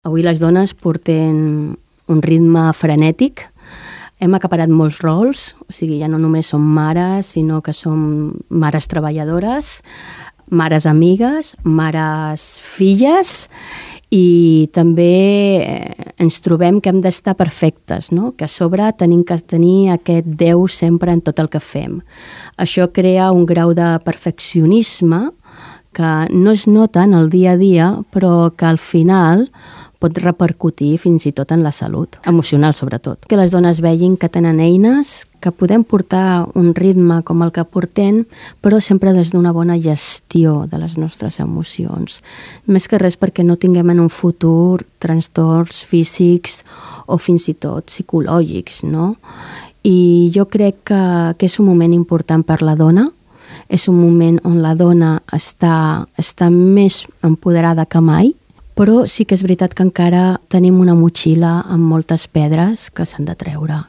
Avui les dones portem un ritme frenètic. Hem acaparat molts rols, o sigui, ja no només som mares, sinó que som mares treballadores, mares amigues, mares filles, i també ens trobem que hem d'estar perfectes, no? Que a sobre tenim que tenir aquest Déu sempre en tot el que fem. Això crea un grau de perfeccionisme que no es nota en el dia a dia, però que al final pot repercutir fins i tot en la salut, emocional sobretot. Que les dones vegin que tenen eines, que podem portar un ritme com el que portem, però sempre des d'una bona gestió de les nostres emocions. Més que res perquè no tinguem en un futur trastorns físics o fins i tot psicològics, no? I jo crec que és un moment important per la dona, és un moment on la dona està més empoderada que mai, però sí que és veritat que encara tenim una motxilla amb moltes pedres que s'han de treure.